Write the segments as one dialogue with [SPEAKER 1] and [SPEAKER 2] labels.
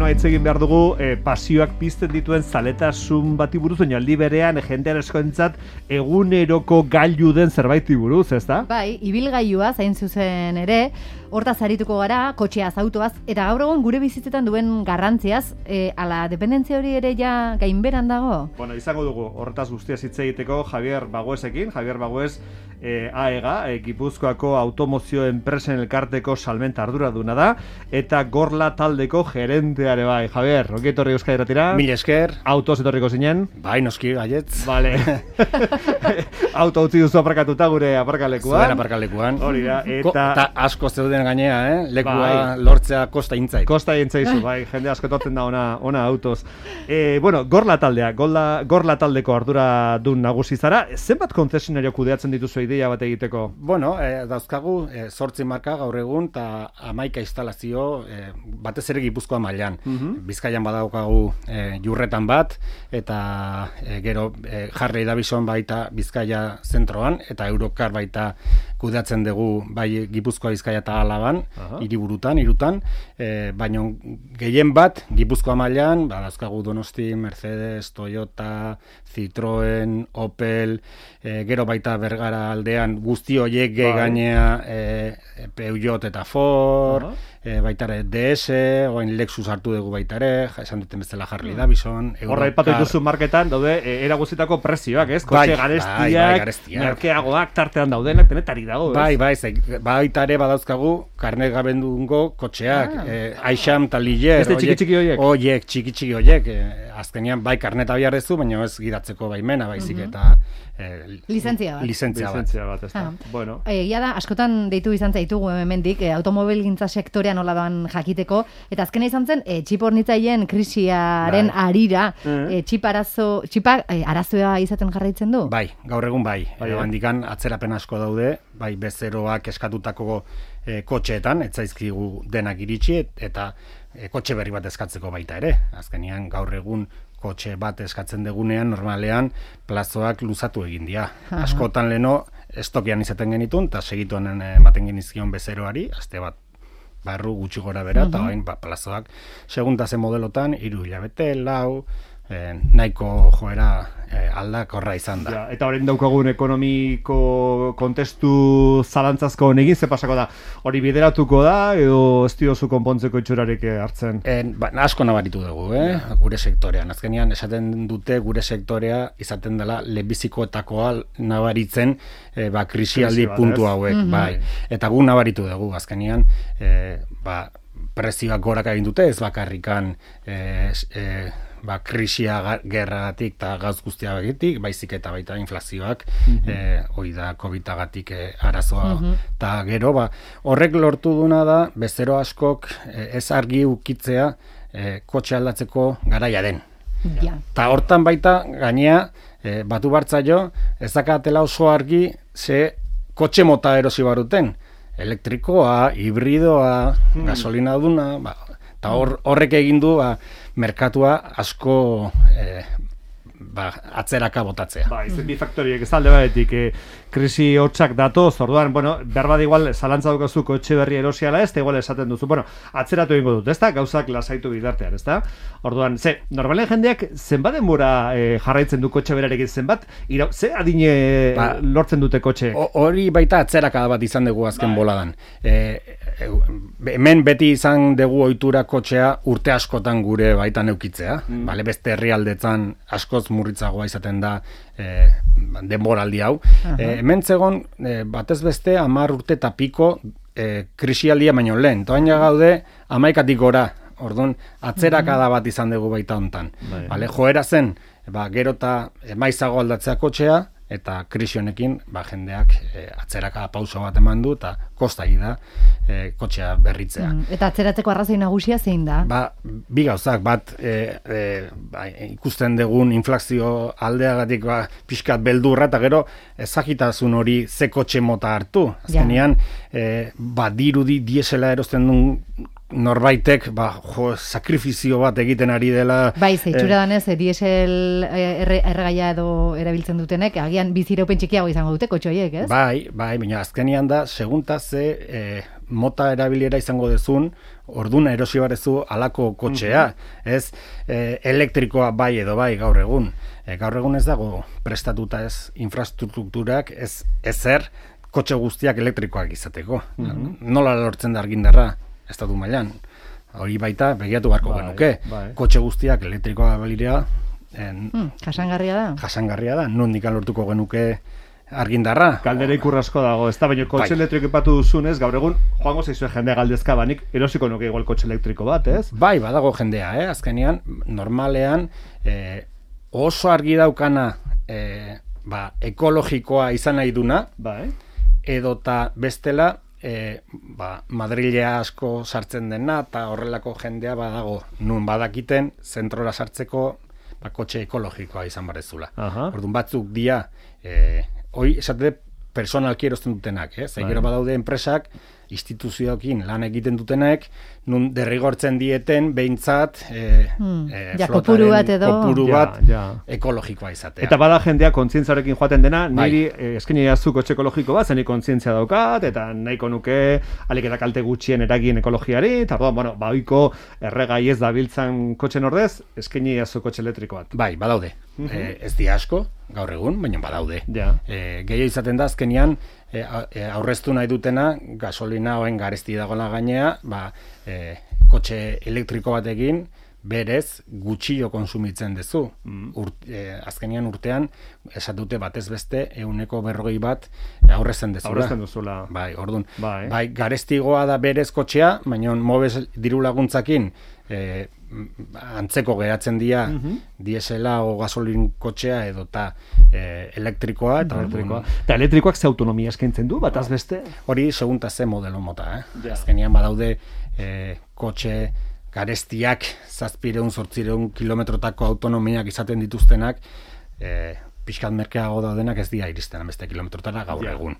[SPEAKER 1] hitz egin behar dugu pasioak pizten dituen zaletasun bati buruz, baina aldi berean jendean askoentzat eguneroko gailu den zerbaiti buruz, ezta?
[SPEAKER 2] Bai, ibilgailua zain zuzen ere, hortaz arituko gara, kotxeaz, autoaz, eta gaur egun gure bizitzetan duen garrantziaz, ala dependentzia hori ere ja gainberan dago?
[SPEAKER 1] Bueno, izango dugu horretaz guztiaz hitz egiteko Javier Baguesekin. Javier Bagues AEGA, Gipuzkoako Automozio Enpresen Elkarteko salmenta arduraduna da, eta Gorla taldeko gerenteare bai. Javier, ongi etorri Euskadi Irratira.
[SPEAKER 3] Mil esker.
[SPEAKER 1] Autoz etorriko zinen?
[SPEAKER 3] Bai, noski, gaietz.
[SPEAKER 1] Vale. Auto utzi duzu aparkatuta gure aparkalekuan.
[SPEAKER 3] Zuen aparkalekuan.
[SPEAKER 1] Hori da, eta
[SPEAKER 3] asko zeuden gainea, lekua
[SPEAKER 1] bai.
[SPEAKER 3] lortzea kosta intzait.
[SPEAKER 1] Kosta intzaizu, bai, jende asko etortzen da ona autoz. Bueno, Gorla taldea, Gorla taldeko arduradun nagusi zara. Zenbat konzesionario kudeatzen dituzu ideia bat egiteko?
[SPEAKER 3] Bueno, dauzkagu 8 marka gaur egun eta 11 instalazio batez ere Gipuzkoa mailan. Bizkaian badaukagu Jurretan bat eta gero Harley Davidson baita Bizkaia zentroan eta Eurocar baita kudeatzen dugu bai Gipuzkoa, Bizkaia eta Alaban, hiriburutan, baina gehien bat Gipuzkoa mailan, dauzkagu Donosti, Mercedes, Toyota, Citroen, Opel, gero baita Bergara aldean guzti horiek gainea Peugeot eta Ford, baita ere DS, oain Lexus hartu dugu baita ere, esan duten bezala Harley Davidson,
[SPEAKER 1] Horra ipatu dituzu marketan daude era guztietako prezioak, ez? Kotxe garestiak, merkeagoak tartean daudenak, denetarik dago, ez?
[SPEAKER 3] Bai, baita ere badauzkagu karnet gabendungo kotxeak, Aixam eta Liger,
[SPEAKER 1] txiki-txiki
[SPEAKER 3] txiki horiek, azkenean bai karneta biharrezu, baina ez gidatzeko baimena, baizik eta
[SPEAKER 2] lizentzia
[SPEAKER 1] bat, ez da. Bueno.
[SPEAKER 2] Egia da, askotan deitu izan zaitugu hemendik, automobilgintza sektorean nola doan jakiteko, eta azkena izan zen, txip hornitzaileen krisiaren arira, txipa arazoa izaten jarraitzen du?
[SPEAKER 3] Bai, gaur egun bai. Handikan atzerapen asko daude, bai bezeroak eskatutako kotxeetan, etzaizkigu denak iritsi, eta kotxe berri bat eskatzeko baita ere. Azkenean gaur egun kotxe bat eskatzen degunean, normalean, plazoak luzatu egin dira. Askotan leno, estokian izaten genitun, eta segituan ematen genizkion bezeroari, aste bat barru gutxi gora bera, eta hain plazoak seguntazen modelotan, 3 hilabete, 4, nahiko joera aldakorra izan da.
[SPEAKER 1] Eta horrein daukagun ekonomiko kontestu zalantzazko honegin, ze pasako da? Hori bideratuko da, edo ez diozu konpontzeko itxurarik hartzen?
[SPEAKER 3] Asko nabaritu dugu, gure sektorean. Azkenean, esaten dute gure sektorea izaten dela lehenbizikoetakoa nabaritzen krisialdi puntu hauek. Bai. Eta gu nabaritu dugu, azkenean, prezioak gorak egin dute, ez bakarrikan krisia gerragatik eta gauz guztiagatik, baizik eta baita inflazioak, hori da COVID-agatik arazoa. Eta gero, horrek lortu duna da, bezero askok ez argi ukitzea kotxe aldatzeko garaia den. Eta hortan baita, gainea, batu bartzaio, ez dakatela oso argi ze kotxe mota erosi baruten. Elektrikoa, hibridoa, gasolina duna, eta horrek egin du merkatua asko atzeraka botatzea.
[SPEAKER 1] Izen bi faktoriek ez alde batetik krisi hotxak datoz, orduan, behar igual zalantza dukazu kotxe berri erosiala ez, igual esaten duzu, atzeratu egingo dut, ez da? Gauzak lasaitu bidartean, ez da? Orduan, normalen jendeak zenbat denbora jarraitzen du kotxe berarekin, zenbat, ze adine lortzen dute kotxe?
[SPEAKER 3] Hori baita atzeraka bat izan dugu azken boladan. Hemen beti izan dugu ohitura kotxea urte askotan gure baitan eukitzea, beste herrialdetan askoz murritzagoa izaten da denboraldi hau. Hemen zegon, batez beste 10 urte eta piko krisialdia baino lehen. Toain gaude 11 gora. Orduan, atzerakada bat izan dugu baita hontan. Joera zen, gero eta maizago aldatzea kotxea, eta krisi honekin jendeak atzeraka pauso bat eman du eta kostai da kotxea berritzea.
[SPEAKER 2] Eta atzeratzeko arrazoi nagusia zein da?
[SPEAKER 3] Bi gauzak, bat ikusten dugun inflazio aldeagatik pixkat beldurra eta gero ezagitasun hori ze kotxe mota hartu. Azkenean, dirudi diesela erosten duen norbaitek sakrifizio bat egiten ari dela.
[SPEAKER 2] Bai, zeitzura danez, diesel erregaia edo erabiltzen dutenek, agian biziraupen txikiago izango dute kotxoiek, ez?
[SPEAKER 3] Bai, baina azkenean da, segunta ze mota erabilera izango dezun, orduna erosi barezu alako kotxea, ez elektrikoa bai edo bai gaur egun. Gaur egun ez dago prestatuta ez infrastrukturak, ez ezer kotxe guztiak elektrikoak izateko. Nola lortzen da argindarra? Estatu mailan. Hori baita, begiatu beharko genuke. Kotxe guztiak elektrikoa balira.
[SPEAKER 2] Jasangarria
[SPEAKER 3] da. Nondik lortuko genuke argindarra.
[SPEAKER 1] Galdera ikurrasko dago. Ez da, baina kotxe elektriko ipatu duzunez, gaur egun, joango zaizue jendea galdezka banik, erosiko nuke igual kotxe elektriko bat, ez?
[SPEAKER 3] Bai, badago jendea, azkenean, normalean, oso argi daukana, ekologikoa izan nahi duna, edota bestela, Madrilea asko sartzen dena eta horrelako jendea badago nun badakiten zentrora sartzeko kotxe ekologikoa izan barezula. Orduan batzuk dia hoi esate personalki erosten dutenak, gero badaude enpresak instituzioekin lan egiten dutenek nun derrigortzen dieten behintzat
[SPEAKER 2] kopuru bat
[SPEAKER 3] ekologikoa izatea.
[SPEAKER 1] Eta bada jendea kontzientzarekin joaten dena, niri eskaini jazu kotxe ekologiko bat, zeni kontzientzia daukat, eta nahiko nuke alik eta kalte gutxien eragin ekologiari, eta ohiko erregai ez dabiltzan kotxen ordez, eskaini jazu kotxe elektriko bat.
[SPEAKER 3] Bai, badaude. Ez di asko, gaur egun, baina badaude. Gehiago izaten da, azkenian, aurreztu nahi dutena, gasolina hoen garesti dagoela gainea, kotxe elektriko batekin, berez gutxio konsumitzen dezu. Azkenian urtean, esatute batez beste, 140 bat aurrezen dezula. Bai, orduan. Bai, garestigoa da berez kotxea, baina mobes diru laguntzakin, antzeko geratzen dira diesela o gasolin kotxea edo eta elektrikoa.
[SPEAKER 1] Eta elektrikoak ze autonomia eskaintzen du, bataz beste?
[SPEAKER 3] Hori segunta ze modelo mota. Azkenean badaude kotxe garestiak 700-800 kilometrotako autonomiak izaten dituztenak, pixkat merkeago daudenak ez dira iristen beste kilometrotara gaur egun.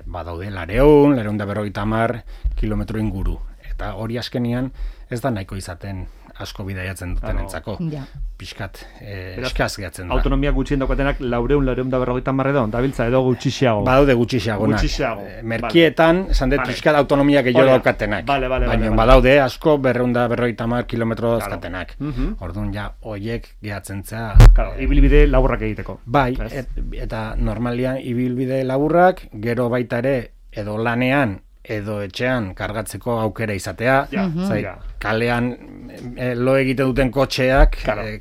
[SPEAKER 3] Badaude 250 kilometro inguru. Eta hori askenean ez da nahiko izaten asko bidaiatzen duten entzako. Pixkat eskaz gehatzen da.
[SPEAKER 1] Autonomia gutxien daukatenak 250 edo, dabiltza edo gutxixiago.
[SPEAKER 3] Badaude gutxixiagonak. Merkietan, esan dut pixkat autonomia gehiago daukatenak. Baina badaude asko 250 kilometro dauzkatenak. Orduan ja, hoiek gehatzen zea.
[SPEAKER 1] Ibilbide laburrak egiteko.
[SPEAKER 3] Bai, eta normalian ibilbide laburrak, gero baita ere, edo lanean, edo etxean kargatzeko aukera izatea, kalean lo egiten duten kotxeak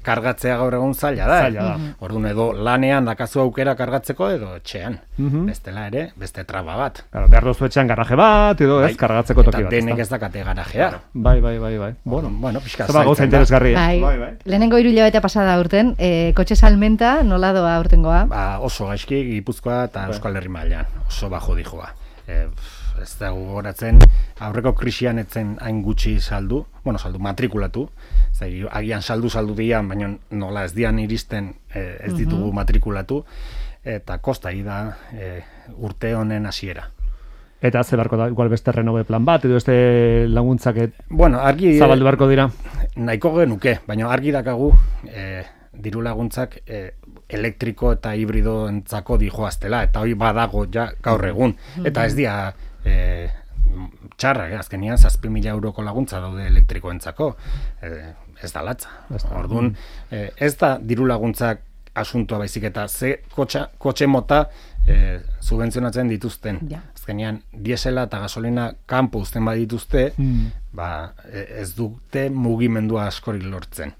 [SPEAKER 3] kargatzea gaur egun zaila da. Orduan edo lanean dakazu aukera kargatzeko edo etxean. Bestela ere, beste traba bat.
[SPEAKER 1] Behar dozu etxean garaje bat, edo ez kargatzeko toki bat.
[SPEAKER 3] Eta denek ez dakate garajea.
[SPEAKER 1] Bai.
[SPEAKER 3] Bueno, pixka
[SPEAKER 1] zaba gauza interesgarria.
[SPEAKER 2] Lehenengo 3 hilabete pasada urten, kotxe salmenta nola doa urtengoa?
[SPEAKER 3] Oso gaizki, Gipuzkoa eta Euskal Herri mailan. Oso bajo dijoa. Ez da gogoratzen, aurreko krisian etzen hain gutxi saldu matrikulatu, agian saldu dian, baina nola ez dian iristen ez ditugu matrikulatu, eta kosta da urte honen hasiera.
[SPEAKER 1] Eta ze beharko da, igual beste renove plan bat, edo beste laguntzak
[SPEAKER 3] argi
[SPEAKER 1] zabaldu beharko dira?
[SPEAKER 3] Nahiko genuke, baina argi dakagu diru laguntzak elektriko eta hibrido entzako dijoaztela, eta hori badago ja gaur egun, eta ez dira txarra, azkenian 7.000 euroko laguntza daude elektrikoentzako, ez da latza. Orduan, ez da diru laguntzak asuntua baizik eta ze kotxe mota subentzionatzen dituzten. Azkenean, diesela eta gasolina kanpo uzten badituzte, ez dute mugimendua askorik lortzen.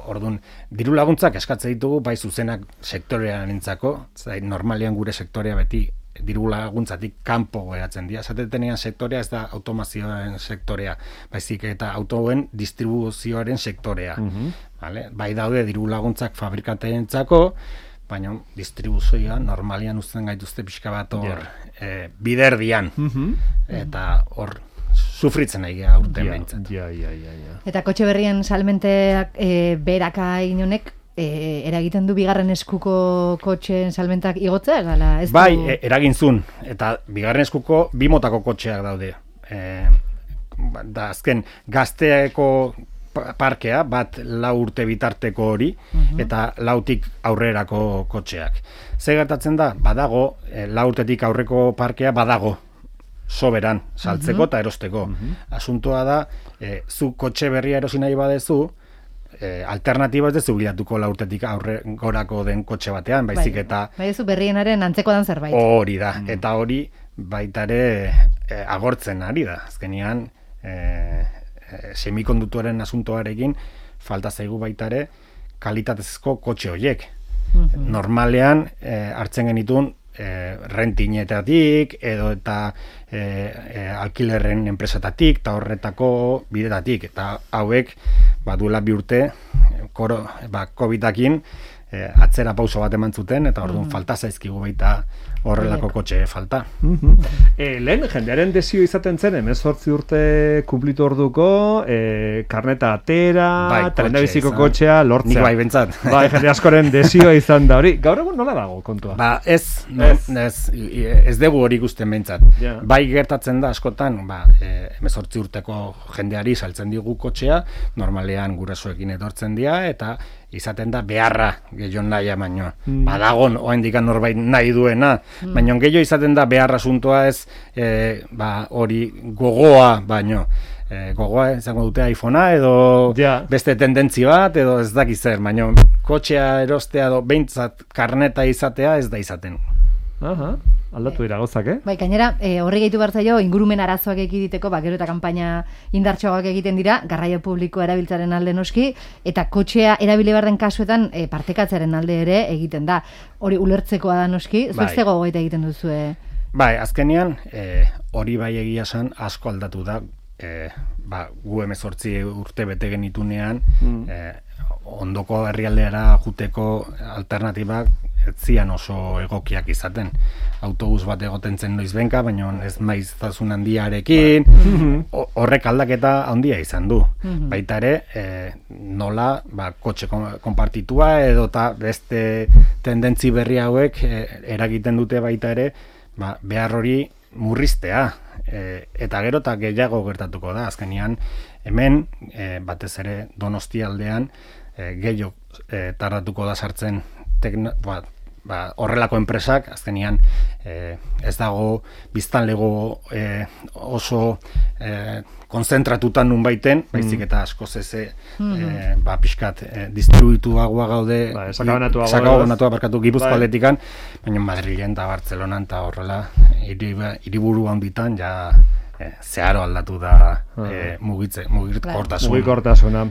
[SPEAKER 3] Orduan, diru laguntzak eskatzen ditugu bai zuzenak sektorean entzako, normalian gure sektorea beti diru laguntzatik kanpo geratzen dira. Zatetenean sektorea ez da automazioaren sektorea, baizik eta autoen distribuzioaren sektorea. Bai daude diru laguntzak fabrikateentzako, baina distribuzioa normalian uzten gaituzte pixka bat hor biderdian. Eta hor sufritzen nahi geha urten behintzat.
[SPEAKER 2] Eta kotxe berrien salmenteak beraka inonek eragiten du bigarren eskuko kotxeen salmentak igotzea?
[SPEAKER 3] Bai, eragintzun. Eta bigarren eskuko 2 motako kotxeak daude. da azken gazteeko parkea, bat 4 urte bitarteko hori, eta 4tik aurrerako kotxeak. Ze gertatzen da, badago, 4 urtetik aurreko parkea badago, soberan, saltzeko eta erosteko. Asuntoa da, zu kotxe berria erosi nahi badezu, alternatiba ez dezu bilatuko 4 urtetik aurre gorako den kotxe batean, baizik eta...
[SPEAKER 2] Bai, ez berrienaren antzeko dan zerbait.
[SPEAKER 3] Hori da, eta hori baitare agortzen ari da. Azkenean, semikonduktoren asuntoarekin falta zaigu baitare kalitatezko kotxe horiek. Normalean hartzen genitun rentinetatik edo eta alkilerren enpresatatik eta horretako bidetatik, eta hauek baduela 2 urte COVID-akin atzera pauso bat eman zuten, eta orduan falta zaizkigu baita horrelako kotxe falta.
[SPEAKER 1] Lehen, jendearen desio izaten zen, 18 urte kumplitu orduko, karneta atera, telendabiziko kotxea lortzea.
[SPEAKER 3] Nik bai bentsat.
[SPEAKER 1] Bai, jende askoren desioa izan da hori. Gaur egun nola dago kontua?
[SPEAKER 3] Ez dugu hori ikusten bentsat. Bai gertatzen da askotan, 18 urteko jendeari saltzen digu kotxea, normalean gurasoekin etortzen dira, eta izaten da beharra gehiago nahi baino. Badagon, oaindikan norbait nahi duena, baina gehiago izaten da beharra asuntoa ez hori gogoa baino. Gogoa izango dute iPhonea edo beste tendentzi bat edo ez dakiz zer, baina kotxea erostea edo behintzat karneta izatea ez da izaten.
[SPEAKER 1] Aldatu dira gozak,
[SPEAKER 2] Bai, gainera, horri gehitu behar zaio, ingurumen arazoak ekiditeko, gero eta kanpaina indartxoak egiten dira, garraio publikoa erabiltzaren alde noski, eta kotxea erabili behar den kasuetan partekatzearen alde ere egiten da. Hori ulertzekoa da noski, zueztego gogaita egiten duzue?
[SPEAKER 3] Bai, azkenean, hori bai egia esan asko aldatu da, gu 18 urte bete genitunean, ondoko herrialdera juteko alternatibak zian oso egokiak izaten. Autobus bat egoten zen noizbenka, baina ez maiztasun handiarekin, horrek aldaketa handia izan du. Baita ere, nola kotxe konpartitua edo eta beste tendentzi berri hauek eragiten dute baita ere, behar hori murriztea. Eta gero eta gehiago gertatuko da. Azkenean, hemen, batez ere Donostia aldean, gehiago tardatuko da sartzen horrelako enpresak, azkenean ez dago biztanlego oso konzentratutan nun baiten, baizik eta askoz eze pixkat distribuituagoa gaude, sakabanatuak barkatu Gipuzkoa aldetikan, baina Madrilen eta Bartzelonan eta horrela hiriburu handitan ja zeharo aldatu da
[SPEAKER 1] mugikortasuna.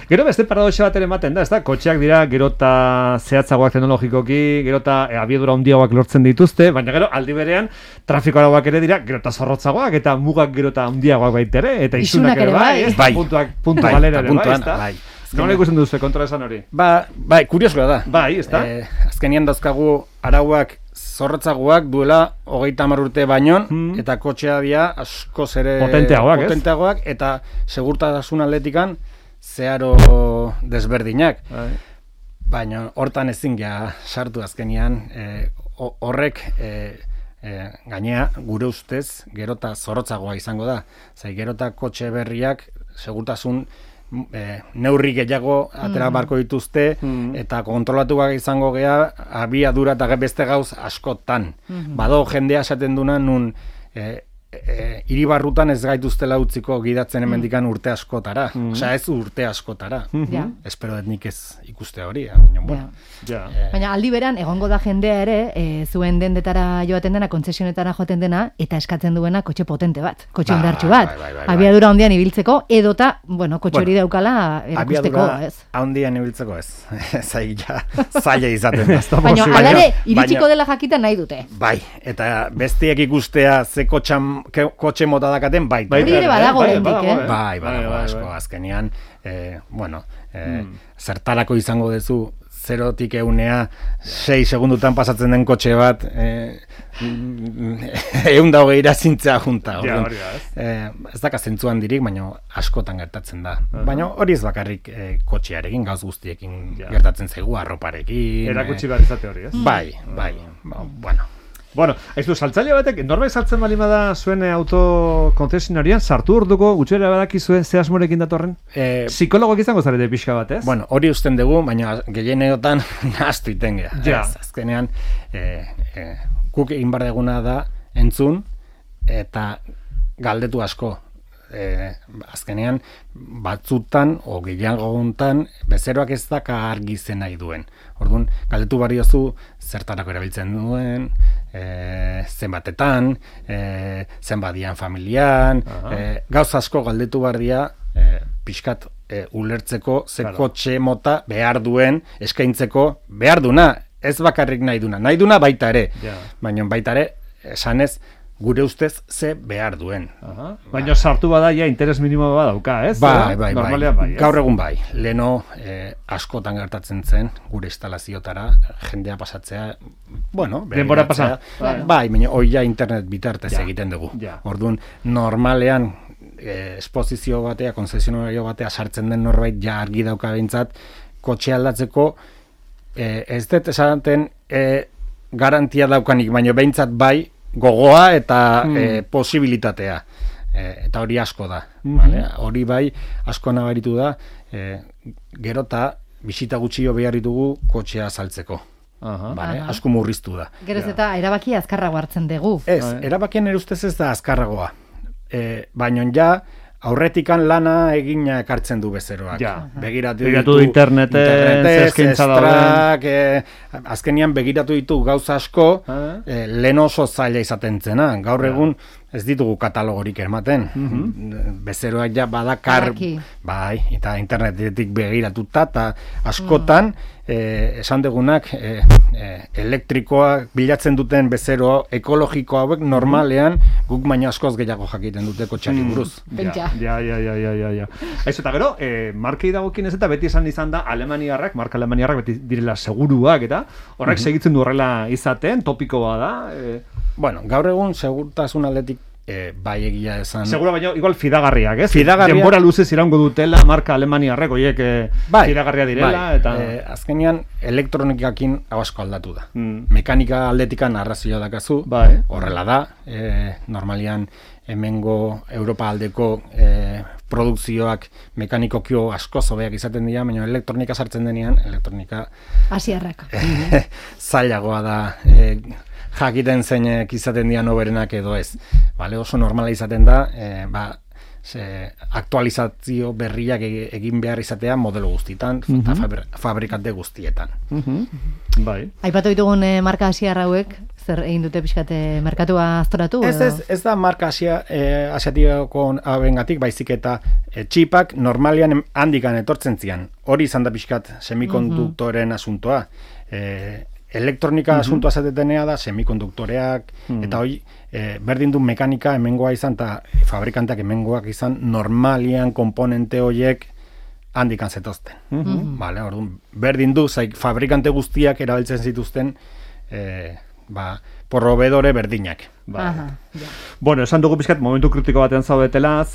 [SPEAKER 1] Gero beste paradoxa bat ere ematen da, ez da? Kotxeak dira gero eta zehatzagoak teknologikoki, gero eta abiadura handiagoak lortzen dituzte, baina gero aldi berean trafiko arauak ere dira gero eta zorrotzagoak eta mugak gero eta handiagoak baitere, eta isunak ere bai, puntu galera ere bai, ez da? Nola ikusten duzu kontra esan hori?
[SPEAKER 3] Bai, kuriosoa da.
[SPEAKER 1] Bai, ez da?
[SPEAKER 3] Azkenean dauzkagu arauak zorrotzagoak duela 30 urte baino, eta kotxea dira askoz ere potenteagoak eta segurtasun atletikan zeharo desberdinak. Baina hortan ezin ja sartu azkenean, horrek gainea gure ustez gerota zorrotzagoa izango da. Zai gerota kotxe berriak segurtasun neurri gehiago atera barko dituzte, eta kontrolatuak izango gea abiadura eta beste gauz askotan. Bado jendea esaten duna nun hiribarrutan ez gaituztela utziko gidatzen hemendikan urte askotara. Osea, ez urte askotara. Espero dut nik ez ikuste hori.
[SPEAKER 2] Baina aldi beran, egongo da jendea ere, zuen dendetara joaten dena, kontzesionetara joaten dena, eta eskatzen duena kotxe potente bat, kotxe indartsu bat. Abiadura handian ibiltzeko, edota, kotxe hori daukala erakusteko, ez?
[SPEAKER 3] Abiadura handian ibiltzeko ez. Zaila izaten da.
[SPEAKER 2] Baina alare, iritsiko dela jakiten nahi dute.
[SPEAKER 3] Bai, eta bestiek ikustea ze kotxe mota dakaten baita.
[SPEAKER 2] Hori ere badago lendik,
[SPEAKER 3] Bai, asko, azkenean, zertarako izango duzu 0-tik 6 segundutan pasatzen den kotxe bat 120 zintzea junta. Ez daka zentzu handirik, baina askotan gertatzen da. Baina hori ez bakarrik kotxearekin, gauz guztiekin gertatzen zaigu, arroparekin.
[SPEAKER 1] Erakutsi behar izate hori, ez?
[SPEAKER 3] Bai, bueno.
[SPEAKER 1] Bueno, ez du, saltzaile batek, norbait saltzen bali bada zuen autokonzesionarian, sartu orduko, gutxera badaki zuen ze asmorekin datorren? Psikologoak izango zarete pixka bat, ez?
[SPEAKER 3] Bueno, hori usten dugu, baina gehieneotan nahaztu iten gea.
[SPEAKER 1] Ja.
[SPEAKER 3] Azkenean, guk egin bar deguna da entzun, eta galdetu asko. Azkenean batzutan o gehiagotan bezeroak ez daka argi zen nahi duen. Orduan, galdetu bariozu zertarako erabiltzen duen, zenbatetan, zenbadian familian, gauza asko galdetu bardia pixkat ulertzeko ze kotxe mota behar duen eskaintzeko behar duna, ez bakarrik nahi duna baita ere, baina baita ere esanez gure ustez ze behar duen.
[SPEAKER 1] Baina sartu bada ja interes minimo badauka, ez?
[SPEAKER 3] Bai.
[SPEAKER 1] Bai.
[SPEAKER 3] Gaur egun bai. Leno askotan gertatzen zen gure instalazioetara jendea pasatzea, bueno,
[SPEAKER 1] denbora pasa.
[SPEAKER 3] Bai, baina hori ja internet bitartez egiten dugu. Orduan, normalean esposizio batea, konzesionario batea sartzen den norbait ja argi dauka behintzat, kotxe aldatzeko ez dut esaten garantia daukanik, baina behintzat bai gogoa eta posibilitatea. Eta hori asko da. Vale? Hori bai asko nabaritu da, gero eta bisita gutxio behar ditugu kotxea saltzeko. Vale? Asko murriztu da.
[SPEAKER 2] Geroz eta erabakia azkarrago hartzen dugu.
[SPEAKER 3] Ez, erabakien ere ustez ez da azkarragoa. Baina ja, aurretikan lana egina ekartzen du bezeroak.
[SPEAKER 1] Begiratu internetez,
[SPEAKER 3] estrak, azkenian begiratu ditu gauza asko, lehen oso zaila izaten zena. Gaur egun ez ditugu katalogorik ematen. Bezeroak ja badakar, bai, eta internetetik begiratuta, eta askotan, esan degunak, elektrikoa bilatzen duten bezero ekologiko hauek normalean guk baina askoz gehiago jakiten dute kotxeari buruz.
[SPEAKER 1] Ja. Ez eta gero, markei dagokin ez eta beti izan da marka alemaniarrak beti direla seguruak eta horrek segitzen du horrela izaten, topikoa da.
[SPEAKER 3] Bueno, gaur egun segurtasun aldetik bai egia esan.
[SPEAKER 1] Segura baina igual fidagarriak, ez?
[SPEAKER 3] Fidagarriak.
[SPEAKER 1] Denbora luzez iraungo dutela marka alemaniarrek horiek fidagarria direla. Eta
[SPEAKER 3] azkenean elektronikakin asko aldatu da. Mekanika aldetikan arrazioa dakazu, horrela da. Normalian hemengo Europa aldeko produkzioak mekanikokio asko zobeak izaten dira, baina elektronika sartzen denean, elektronika
[SPEAKER 2] asiarrak.
[SPEAKER 3] Zailagoa da jakiten zeinek izaten dian oberenak edo ez. Oso normala izaten da, aktualizazio berriak egin behar izatea modelo guztietan eta fabrikante guztietan.
[SPEAKER 2] Aipatu ditugun marka asiar hauek, zer egin dute pixkate merkatua aztoratu?
[SPEAKER 3] Ez da marka asiatiako abengatik, baizik eta txipak normalian handikan etortzen zian. Hori izan da pixkat semikonduktoren asuntoa. Elektronika asuntoa zatetenea da, semikonduktoreak, eta hoi, berdin du mekanika hemengoa izan, eta fabrikanteak hemengoak izan, normalian komponente horiek handikan zetozten. Orduan, berdin du, fabrikante guztiak erabiltzen zituzten, proveedore berdinak.
[SPEAKER 1] Bueno, esan dugu pixkat momentu kritiko batean zaudetela,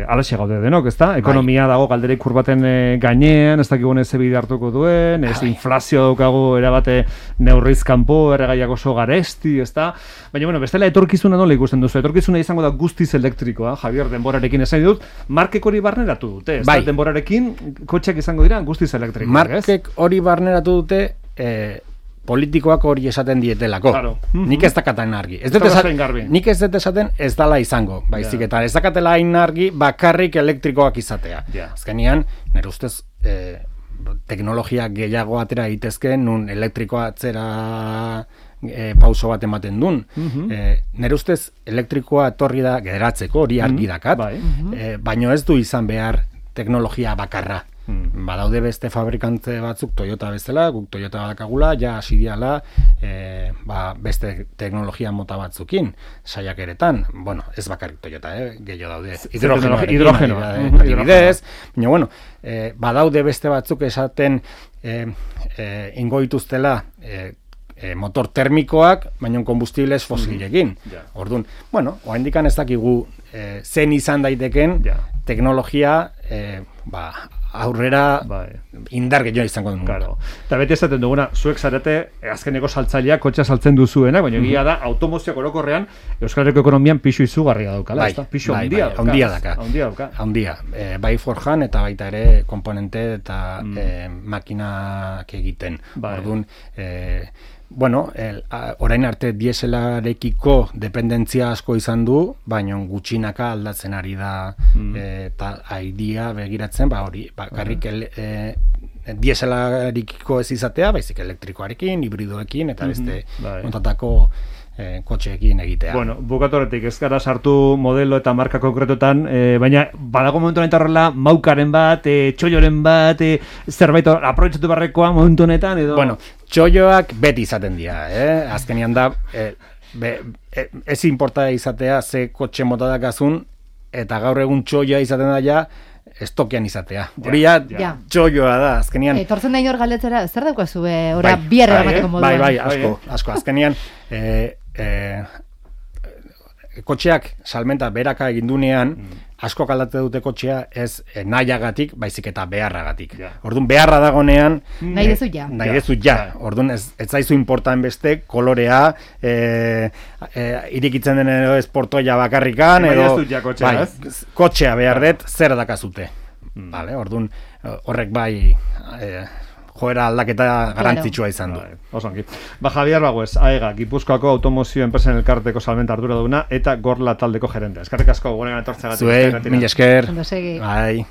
[SPEAKER 1] alaxe gaude denok, ezta? Ekonomia dago galdera ikur baten gainean, ez dakigune ze bide hartuko duen, ez inflazio daukagu erabate neurriz kanpo, erregaiak oso garesti, ezta? Baina, bueno, bestela etorkizuna nola ikusten duzu? Etorkizuna izango da guztiz elektrikoa, Javier, denborarekin esan dut, markek hori barneratu dute, ezta? Denborarekin kotxeak izango dira guztiz elektrikoak, ez?
[SPEAKER 3] Markek hori barneratu dute, politikoak hori esaten dietelako. Nik ez dakaten argi. Nik ez dut esaten ez dala izango. Baizik eta ez dakatela hain argi bakarrik elektrikoak izatea. Azkenean, nire ustez teknologia gehiago atera egitezke, nun elektrikoa atzera pauso bat ematen duen. Nire ustez elektrikoa etorri da geratzeko, hori argi dakat, baino ez du izan behar teknologia bakarra. Badaude beste fabrikante batzuk Toyota bezala, guk Toyota badakagula, ja hasi diala beste teknologia mota batzukin, saiakeretan, bueno, ez bakarrik Toyota, gehiago daude, hidrogenoa, adibidez, baina, bueno, badaude beste batzuk esaten ingo dituztela motor termikoak, baina konbustibles fosilekin. Orduan, bueno, oraindik ez dakigu zen izan daiteken teknologia aurrera indar gehiago izango duen.
[SPEAKER 1] Claro. Eta beti esaten duguna, zuek zarete azkeneko saltzaileak kotxea saltzen duzuenak, baina egia da automozioak orokorrean Euskal Herriko ekonomian pixu izugarria daukala, ezta? Pixu handia
[SPEAKER 3] dauka. Handia. Bai forjan eta baita ere komponente eta makinak egiten. Orduan, orain arte dieselarekiko dependentzia asko izan du, baina gutxinaka aldatzen ari da eta aidia begiratzen, bakarrik dieselarikiko ez izatea, baizik elektrikoarekin, hibridoekin eta beste montatako kotxeekin egitea.
[SPEAKER 1] Bueno, bukatoretik ez gara sartu modelo eta marka konkretotan, baina badago momentu honetan horrela maukaren bat, txolloren bat, zerbait aprobetxatu barrekoa momentu honetan edo...
[SPEAKER 3] Bueno, txolloak beti izaten dira, azkenian da, ez importa izatea ze kotxe mota dakazun, eta gaur egun txolloa izaten da ja, estokian izatea. Hori txolloa da, azkenian...
[SPEAKER 2] Tortzen da inor galdetzera, zer daukazu, ora bierra eramateko moduan?
[SPEAKER 3] Bai, asko, azkenian... kotxeak salmenta beraka egindunean asko aldate dute kotxea ez nahiagatik, baizik eta beharragatik. Orduan beharra dagonean
[SPEAKER 2] nahi dezu ja.
[SPEAKER 3] Orduan ez zaizu importan beste kolorea irikitzen den edo esportoia bakarrikan edo kotxea behar dut zer dakazute. Orduan horrek bai joera aldaketa garantzitsua izan du.
[SPEAKER 1] Osongi. Javier Baguez, AEGA, Gipuzkoako automozio enpresen elkarteko salmenta arduraduna eta Gorla taldeko gerente. Eskerrik asko, gurean etortzeagatik.
[SPEAKER 3] Zuei, mila esker.
[SPEAKER 2] Ondo segi.
[SPEAKER 3] Bai.